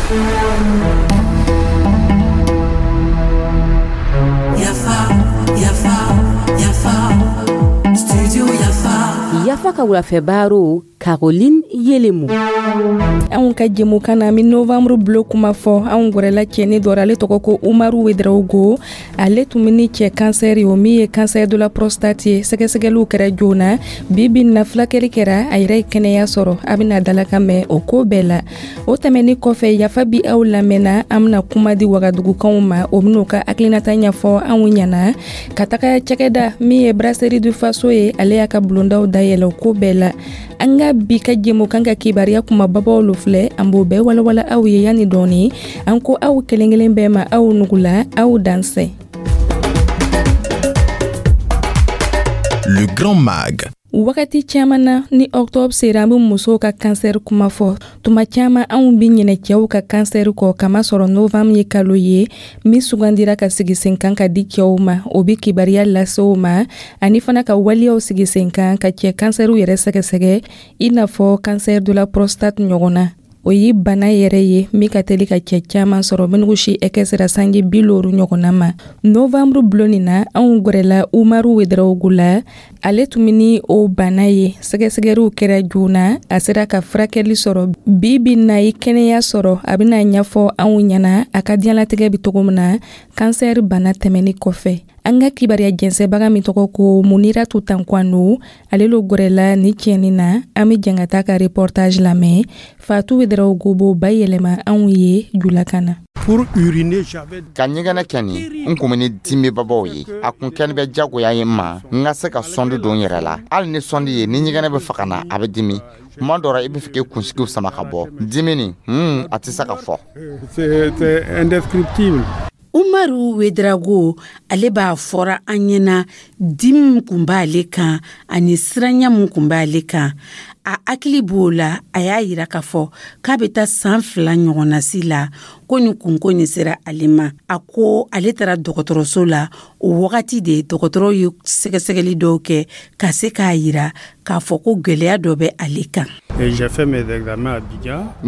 Yafa, Yafa, Yafa, Studio Yafa. Yafa ka wulafɛ baro, Caroline Yelemu. Anw ka jɛmukan na, an bɛ novembre bulo kuma fɔ. Anw gwɛrɛla cɛni dɔ, ale tɔgɔ ko Umaru Wedraogo. Ale tun bɛ ni cɛ kansɛri, o min ye cancer de la prostate ye. Sɛgɛsɛgɛliw kɛra joona. Bi bi na, fulakɛli kɛra, a yɛrɛ ye kɛnɛya sɔrɔ. A bɛna dalakan mɛn o ko bɛɛ la. O tɛmɛni kɔfɛ, Yafa bi aw lamɛnna, an bɛna kuma di Wagadugukaw ma. O bɛn'u ka hakilinata ɲɛfɔ anw ɲɛna ka taga cakɛda min ye Brasserie du Faso ye, ale y'a ka bulondaw dayɛlɛ o ko bɛɛ la. An ka bi ka jɛmukan ka kibaruya kumababaw lo filɛ, an b'o bɛɛ walawala aw ye yanni dɔɔni. An ko aw kelen kelen bɛɛ ma, aw nugula, aw dansɛ. Le Grand Mag. Wagati caman na, ni octobre sera, an bɛ musow ka kansɛri kuma fɔ. Tuma caman, anw bɛ ɲinɛ cɛw ka kansɛri kɔ, kamasɔrɔ novembre ye kalo ye min sugandira ka sigi sen kan ka di cɛw ma. O bɛ kibaruya lase o ma, ani fana ka waleyaw sigi sen kan ka cɛ kansɛriw yɛrɛ sɛgɛsɛgɛ, i n'a fɔ cancer de la prostate ɲɔgɔn na. O ye bana yɛrɛ ye min ka teli ka cɛ caman sɔrɔ, minnu si hakɛ sera sanji 50 ɲɔgɔnna ma. Novembre bulon nin na, anw gwɛrɛla Umaru Wedraogo la. Ale tun bɛ ni o bana ye. Sɛgɛsɛgɛliw kɛra joona, a sera ka furakɛli sɔrɔ. Bi bi na, ye kɛnɛya sɔrɔ. A bɛna ɲɛfɔ anw ɲɛna a ka diɲɛlatigɛ bɛ cogo min na kansɛri bana tɛmɛni kɔfɛ. An ka kibaruya jɛnsɛbaga min tɔgɔ ko Muniratu Tankwano, ale lo gwɛrɛla ni cɛnin na. An bɛ jɛn ka taa ka reportage lamɛn. Fatu Wedraogo b'o bayɛlɛma anw ye julakan na. Ka ɲɛgɛnɛ kɛ nin, n kun bɛ ni dimibabaw ye. A kun kɛni bɛ jagoya ye n ma n ka se ka sonde don n yɛrɛ la. Hali ni sonde ye, ni ɲɛgɛnɛ bɛ fɛ ka na, a bɛ dimi. Tuma dɔ la, i bɛ fɛ k'i kunsigiw sama ka bɔ. Dimi nin, a tɛ se ka fɔ. Umaru Wedrago, ale b'a fɔra an ɲɛna dimi min kun b'ale kan ani siranya min kun b'ale kan. A hakili b'o la, a y'a yira k'a fɔ k'a bɛ taa san 2 ɲɔgɔnna si la ko nin kunko nin sera ale ma. A ko ale taara dɔgɔtɔrɔso la. O wagati de dɔgɔtɔrɔw ye sɛgɛsɛgɛli dɔw kɛ ka se k'a yira k'a fɔ ko gɛlɛya dɔ bɛ ale kan. N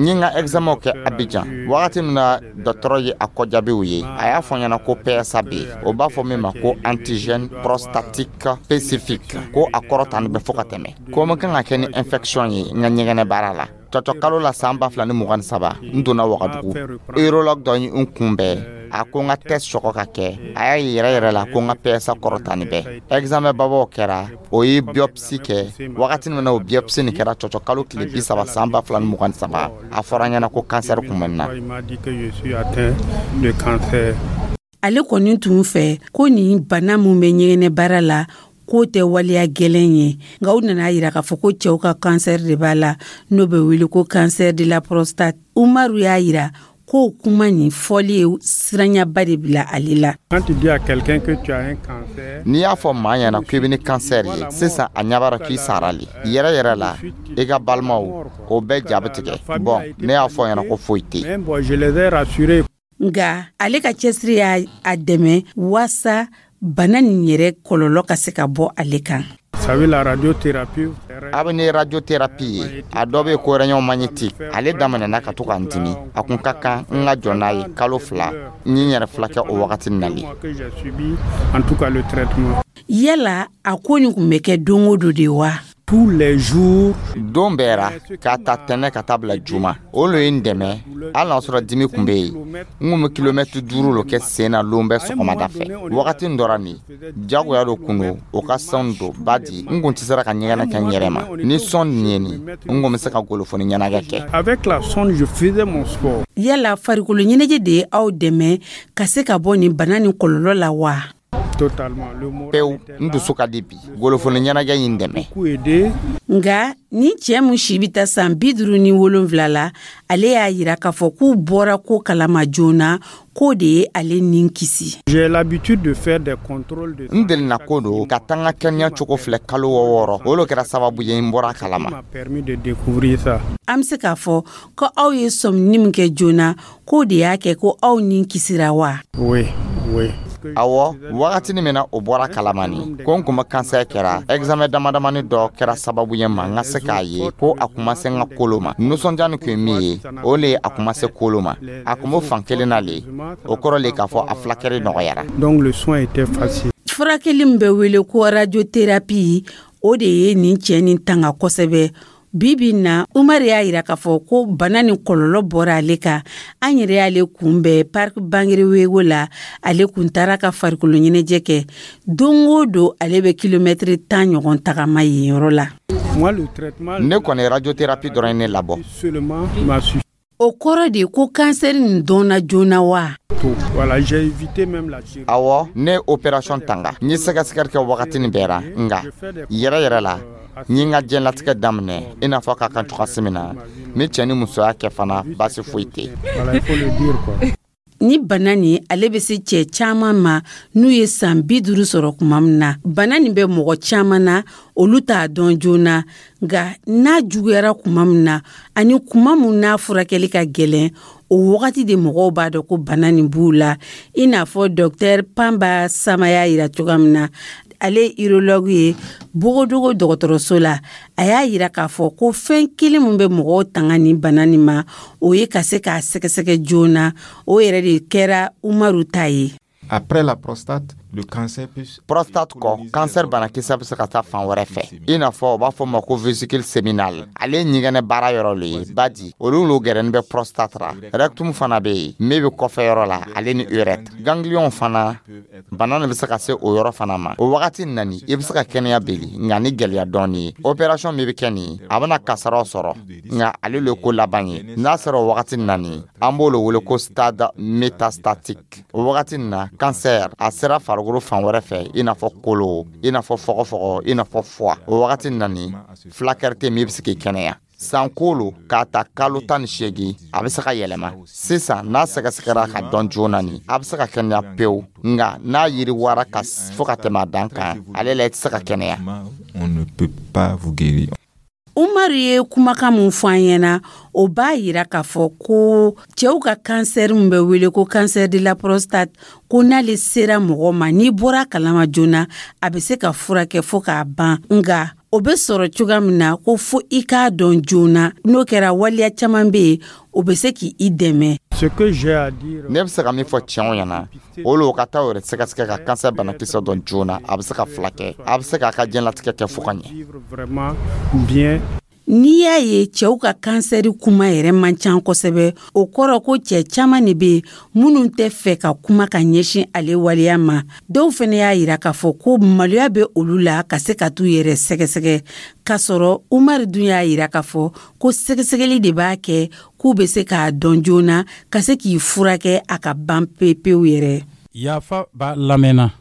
ye n ka examen kɛ Abidjan. Wagati min na dɔgɔtɔrɔ ye a kɔjaabiw ye, a y'a fɔ n ɲɛna ko PSA bɛ yen, o b'a fɔ min ma ko antigène prostatique spécifique, ko a kɔrɔ tan bɛ fo ka tɛmɛ, ko n kan ka kɛ ni infection ye n ka ɲɛgɛnɛ baara la. Cɔcɔ kalo la san 2023, n donna Wagadugu. Urologue dɔ ye n kunbɛn. A ko n ka test sɔgɔ ka kɛ. A y'a ye yɛrɛ yɛrɛ la ko n ka PSA kɔrɔ tan bɛɛ. Examen babaw kɛra, o ye biopsie kɛ. Wagati min na o biopsie nin kɛra, cɔcɔ kalo tile 30 san 2023, a fɔra n ɲɛna ko cancer kun bɛ n na. Ale kɔni tun fɛ ko nin bana min bɛ ɲɛgɛnɛ baara la, k'o tɛ waleya gɛlɛn ye, nka u nana yira k'a fɔ ko cɛw ka cancer de b'a la, n'o bɛ wele ko cancer de la prostate. Umaru y'a yira k'o kuma nin fɔli ye siranyaba de bila ale la. N'i y'a fɔ maa ɲɛna k'i bɛ ni cancer ye sisan, a ɲɛ b'a la k'i sara le yɛrɛ yɛrɛ la. I ka balimaw, o bɛɛ ja bɛ tigɛ. Bon, ne y'a fɔ ɲɛna ko foyi tɛ. Nka ale ka cɛsiri y'a a dɛmɛ waasa bana nin yɛrɛ kɔlɔlɔ ka se ka bɔ ale kan. A bɛ ni radiothérapie ye, a dɔ bɛ ko rayon magnétique. Ale daminɛna ka to ka n dimi. A kun ka kan n ka jɔ n'a ye kalo 2. N ye n yɛrɛ filakɛ o wagati na le. Yala a ko nin kun bɛ kɛ don o don de wa? Tous les jours, don bɛɛ ra, k'a ta tɛnɛ ka taa bila juma. O lo ye n dɛmɛ. Hali n'a sɔrɔ dimi kun bɛ yen, n kun bɛ kilomɛtiri 5 lo kɛ sen na lon bɛɛ sɔgɔmada fɛ. Wagati dɔ ra nin, jagoya dɔ kun don o ka sonde don badi n kun tɛ se ka ɲɛgɛnɛ kɛ n yɛrɛ ma. Ni sonde nin ye nin, n kun bɛ se ka golofoni ɲɛnajɛ kɛ. Yala farikolo ɲɛnajɛ de ye aw dɛmɛ ka se ka bɔ nin bana nin kɔlɔlɔ la wa? Pewu, n dusu ka di bi. Golofoni ɲɛnajɛ ye n dɛmɛ. Nka ni cɛ min si bɛ taa san 57 la, ale y'a yira k'a fɔ k'u bɔra ko kalama joona, k'o de ye ale nin kisi. N delina ko don ka taa n ka kɛnɛya cogo filɛ kalo 6. O lo kɛra sababu ye n bɔra a kalama. An bɛ se k'a fɔ ko aw ye sɔmini min kɛ joona, k'o de y'a kɛ ko aw nin kisira wa? Awɔ, wagatini min na o bɔra kalama nin ko n kun bɛ kansɛri kɛra, examen damadamani dɔ kɛra sababu ye ma n ka se k'a ye ko a kun ma se n ka kolo ma. Nisɔndiya nin kun ye min ye, o le ye a kun ma se kolo ma, a kun bɛ fan kelen na le. O kɔrɔ le k'a fɔ a fulakɛli nɔgɔyara. Donc le soin était facile. Furakɛli min bɛ wele ko radiothérapie, o de ye nin cɛ nin tanga kosɛbɛ. Bi bi na, Umar y'a yira k'a fɔ ko bana ni kɔlɔlɔ bɔra ale kan. An yɛrɛ y'ale kunbɛn Parc Bangrewego la. Ale kun taara ka farikolo ɲɛnajɛ kɛ. Don o don, ale bɛ kilomɛtiri 10 ɲɔgɔn tagama yen yɔrɔ la. Ne kɔni, radiothérapie dɔrɔn ye ne labɔ. O kɔrɔ de ko kansɛri nin dɔnna joona wa? Awɔ, ne ye opération tanga. N ye sɛgɛsɛgɛli kɛ wagatinin bɛɛ ra, nka yɛrɛ yɛrɛ la, n ye n ka diɲɛlatigɛ daminɛ i n'a fɔ ka kan cogoya min na. N bɛ cɛ ni musoya kɛ fana, baasi foyi tɛ. Ni bana nin, ale bɛ se cɛ caman ma n'u ye san 50 sɔrɔ tuma min na. Bana nin bɛ mɔgɔ caman na, olu t'a dɔn joona, nka n'a juguyara tuma min na ani tuma min n'a furakɛli ka gɛlɛn, o wagati de mɔgɔw b'a dɔn ko bana nin b'u la, i n'a fɔ docteur Panba Sama y'a yira cogoya min na. Ale ye urologue ye Bogodogo dɔgɔtɔrɔso la. A y'a yira k'a fɔ ko fɛn kelen min bɛ mɔgɔw tanga nin bana nin ma, o ye ka se k'a sɛgɛsɛgɛ joona. O yɛrɛ de kɛra Umaru ta ye. Après la prostate, le cancer peut Prostate kɔ, kansɛri banakisɛ bɛ se ka taa fan wɛrɛ fɛ, i n'a fɔ u b'a fɔ ma ko vésicule séminale. Ale ye ɲɛgɛnɛ baara yɔrɔ le ye badi, olu n'o gɛrɛni bɛ prostate ra. Rectum fana bɛ yen min bɛ kɔfɛ yɔrɔ la, ale ni urètre. Ganglion fana, bana nin bɛ se ka se o yɔrɔ fana ma. O wagati nani, i bɛ se ka kɛnɛya beli, nka ni gɛlɛya dɔɔni ye. Opération min bɛ kɛ nin, a bɛna kasaraw sɔrɔ, nka ale le ko laban ye. N'a sera o wagati nani, an b'o le wele ko stade métastatique. O wagati na, cancer a sera farikolo fan wɛrɛ fɛ, i n'a fɔ kolo, i n'a fɔ fɔgɔfɔgɔ, i n'a fɔ foie. O wagati nani, fulakɛri tɛ min bɛ se k'i kɛnɛya. San kolo k'a ta kalo 18, a bɛ se ka yɛlɛma. Sisan, n'a sɛgɛsɛgɛra ka dɔn joona nin, a bɛ se ka kɛnɛya pewu, nka n'a yiriwara ka fo ka tɛmɛ a dan kan, ale la i tɛ se ka kɛnɛya. On ne peut pas vous guérir. Umaru ye kumakan mun fɔ an ɲɛna, o b'a yira k'a fɔ ko cɛw ka kansɛri min bɛ wele ko cancer de la prostate, ko n'ale sera mɔgɔ ma, n'i bɔra kalama joona, a bɛ se ka furakɛ fo k'a ban. Nka o bɛ sɔrɔ cogoya min na, ko fo i k'a dɔn joona. N'o kɛra, waleya caman bɛ yen, o bɛ se k'i dɛmɛ. Ne bɛ se ka min fɔ cɛw ɲɛna, o le o ka taa o yɛrɛ sɛgɛsɛgɛ ka kansɛri banakisɛ dɔn joona. A bɛ se ka furakɛ, a bɛ se k'a ka diɲɛlatigɛ kɛ fo ka ɲɛ. N'i y'a ye cɛw ka kansɛri kuma yɛrɛ man ca kosɛbɛ, o kɔrɔ ko cɛ caman de bɛ yen minnu tɛ fɛ ka kuma ka ɲɛsin ale waleya ma. Dɔw fana y'a yira k'a fɔ ko maloya bɛ olu la ka se ka t'u yɛrɛ sɛgɛsɛgɛ, k'a sɔrɔ Umaru dun y'a yira k'a fɔ ko sɛgɛsɛgɛli de b'a kɛ k'u bɛ se k'a dɔn joona ka se k'i furakɛ a ka ban pewu yɛrɛ. Yafa b'a lamɛnna.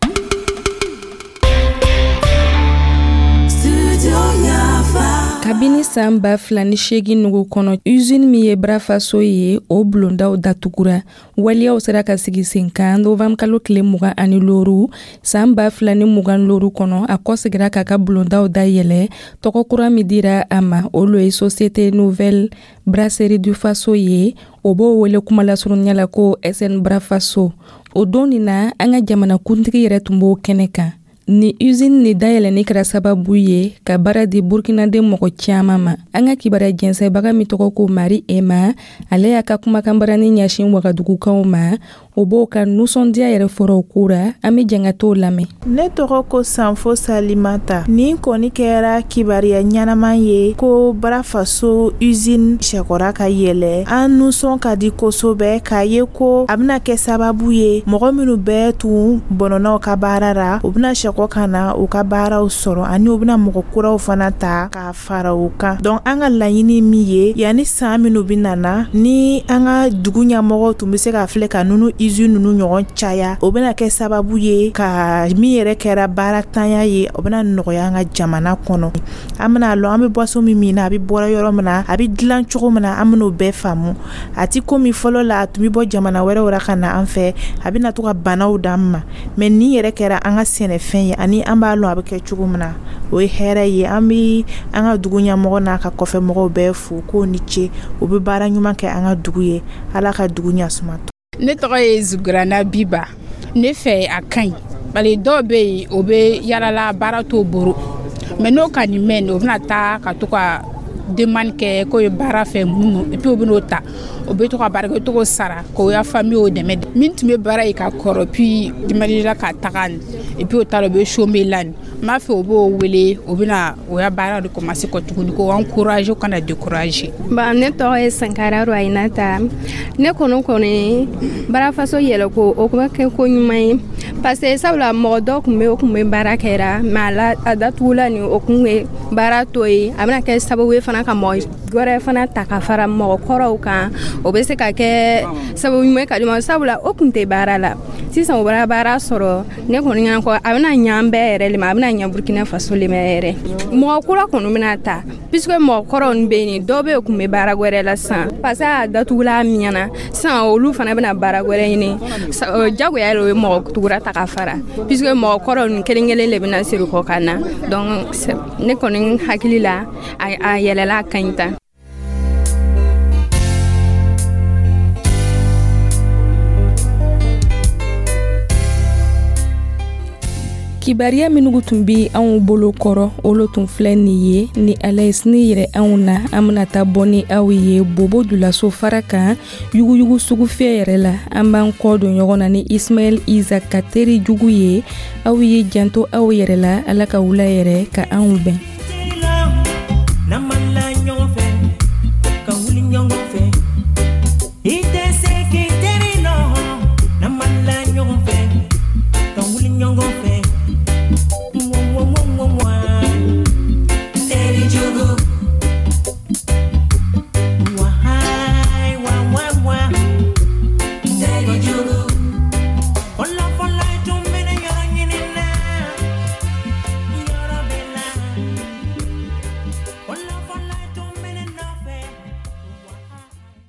Kabini san 2008 nugu kɔnɔ, usine min ye Brafaso ye, o bulondaw datugura. Waleyaw sera ka sigi sen kan novembre kalo tile 25 san 2025 kɔnɔ. A kɔsegira k'a ka bulondaw dayɛlɛ. Tɔgɔ kura min dira a ma, o lo ye Société Nouvelle Brasserie du Faso ye. O b'o wele kumalasurunya la ko SN Brafaso. O don nin na, an ka jamanakuntigi yɛrɛ tun b'o kɛnɛ kan. Ni usine ni dayɛlɛnni kɛra sababu ye ka baara di burukinaden mɔgɔ caman ma. An ka kibaruya jɛnsɛnbaga min tɔgɔ ko Mari Ema, ale y'a ka kumakanbarani ɲɛsin wagadugukaw ma. O b'o ka nisɔndiya yɛrɛ fɔra o ko ra. An bɛ jɛn ka t'o lamɛn. Ne tɔgɔ ko Sanfo Salimata. Nin kɔni kɛra kibaruya ɲɛnama ye ko Brafaso usine sɛkɔra ka yɛlɛ. An nisɔn ka di kosɛbɛ k'a ye ko a bɛna kɛ sababu ye, mɔgɔ minnu bɛɛ tun bɔnɔna ka baara ra, u bɛna sɛkɔ ka na u ka baaraw sɔrɔ, ani u bɛna mɔgɔ kuraw fana ta k'a fara u kan. Donc an ka laɲini min ye, yanni san minnu bɛ nana, ni an ka dugu ɲɛmɔgɔw tun bɛ se ka filɛ ka nunu usine ninnu ɲɔgɔn caya, o bɛna kɛ sababu ye ka min yɛrɛ kɛra baaratanya ye, o bɛna nɔgɔya an ka jamana kɔnɔ. An bɛna lɔn an bɛ boisson min min na, a bɛ bɔra yɔrɔ min na, a bɛ dilan cogo min na, an bɛn'o bɛɛ faamu. A ti komi fɔlɔ la, a tun bɛ bɔ jamana wɛrɛw la ka na an fɛ, a bɛna to ka banaw d'an ma. Mais nin yɛrɛ kɛra an ka sɛnɛfɛn ye, ani an b'a lɔn a bɛ kɛ cogo min na, o ye hɛrɛ ye. An bɛ an ka dugu ɲɛmɔgɔ n'a ka kɔfɛmɔgɔw bɛɛ fo k'o ni ce, u bɛ baara ɲuman kɛ an ka dugu ye. Ala ka dugu ɲɛ suma. Ne tɔgɔ ye Zugurana Biba. Ne fɛ, a ka ɲi, bari dɔw bɛ yen, o bɛ yalala, baara t'o bolo. Mais n'o ka nin mɛn, o bɛna taa ka to ka demande kɛ k'o ye baara fɛ mun, et puis o bɛn'o ta, o bɛ to ka baara kɛ, o to sara k'o ya famille o dɛmɛ. Min tun bɛ baara ye ka kɔrɔ, puis demande la ka taga nin, et puis o taara, o bɛ chômer la nin. N b'a fɛ o b'o wele, o bɛna o ya baara de commencer kɔ tuguni, k'o encourager, o kana décourager. Bon, ne tɔgɔ ye Sankara Royinata. Ne kɔni barafaso yɛlɛ ko, o bɛ kɛ ko ɲuman ye, parce que sabula mɔgɔ dɔ tun bɛ, o tun bɛ baara kɛra, mais a la a datugula nin, o kun bɛ baara to yen. A bɛna kɛ sababu ye fana ka mɔgɔ wɛrɛ fana ta ka fara mɔgɔ kɔrɔw kan. O bɛ se ka kɛ sababu ɲuman ye ka di ma, sabula o tun tɛ baara la, sisan o bɔra baara sɔrɔ. Ne kɔni ɲɛna ko a bɛna ɲɛ an bɛɛ yɛrɛ le ma, a bɛna ɲɛ Burukina Faso le ma yɛrɛ. Mɔgɔ kura kɔni bɛna ta, puisque mɔgɔ kɔrɔw bɛ yen, dɔw bɛ yen kun bɛ baara wɛrɛ la sisan, parce que a datugula miɲɛna. Sisan olu fana bɛna baara wɛrɛ ɲini, jagoya o ye mɔgɔ tugura ta ka fara, puisque mɔgɔ kɔrɔ ninnu kelen kelen de bɛna siri kɔ ka na. Donc ne kɔni hakili la, a yɛlɛla, a ka ɲi tan. Kibariya minnu tun bɛ anw bolo kɔrɔ, olu tun filɛ nin ye. Ni Ala ye sini yɛrɛ anw na, an bɛna taa bɔ ni aw ye Bobo Dioulasso fara kan, yuguyugu sugufiyɛ yɛrɛ la. An b'an kɔ don ɲɔgɔn na ni Ismaɛl Iza ka teri jugu ye. Aw ye janto aw yɛrɛ la. Ala ka wula yɛrɛ ka anw bɛn.